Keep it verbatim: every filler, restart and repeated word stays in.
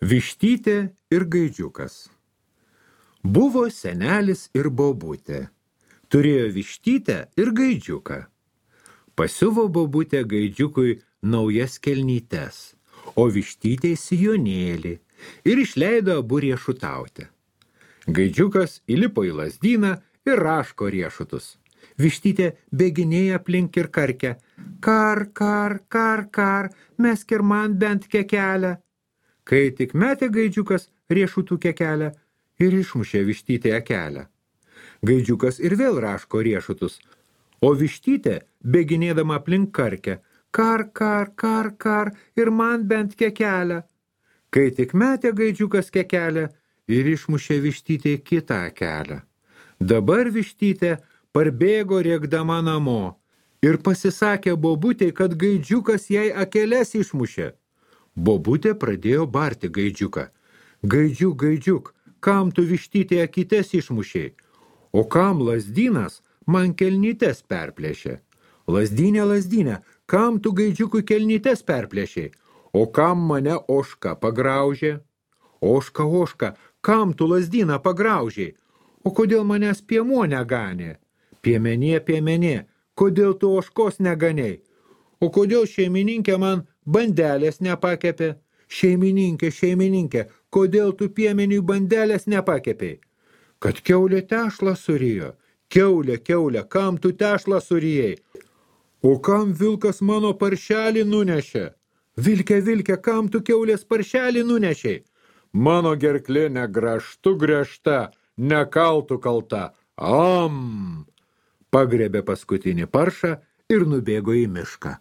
Vištytė ir gaidžiukas. Buvo senelis ir bobutė. Turėjo vištytę ir gaidžiuką. Pasiuvo bobutė gaidžiukui naujas kelnytes, o vištytė sijonėlį ir išleido abu riešutauti. Gaidžiukas įlipo į lazdyną ir raško riešutus. Vištytė bėginėja aplink ir karkia. Kar, kar, kar, kar, mesk ir man bent kekelę. Kai tik metė gaidžiukas riešutų kekelę ir išmušė vištytę akelę. Gaidžiukas ir vėl raško riešutus, o vištytė bėginėdama aplink karkia. Kar, kar, kar, kar, ir man bent kekelę. Kai tik metė gaidžiukas kekelę ir išmušė vištytę kitą akelę. Dabar vištytė parbėgo rėkdama namo ir pasisakė bobutei, kad gaidžiukas jai akeles išmušė. Bobutė pradėjo barti gaidžiuką. Gaidžiuk, gaidžiuk, kam tu vištytė akytes išmušiai? O kam lazdynas man kelnytes perplėšė? Lazdynė, lazdynė, kam tu gaidžiukui kelnytes perplėšiai? O kam mane ožka pagraužė? Ožka, ožka, kam tu lazdyną pagraužiai? O kodėl manęs piemuo neganė? Piemenė, piemenė, kodėl tu ožkos neganiai? O kodėl šeimininkė man bandelės nepakepė? Šeimininkė, šeimininkė, kodėl tu piemeniui bandelės nepakepei? Kad kiaulė tešlą surijo. Kiaulė, kiaulė, kam tu tešlą surijai? O kam vilkas mano paršelį nunešė? Vilke, vilke, kam tu kiaulės paršelį nunešiai? Mano gerklė negraštu griežta, nekaltų kalta. Am! Pagrebė paskutinį paršą ir nubėgo į mišką.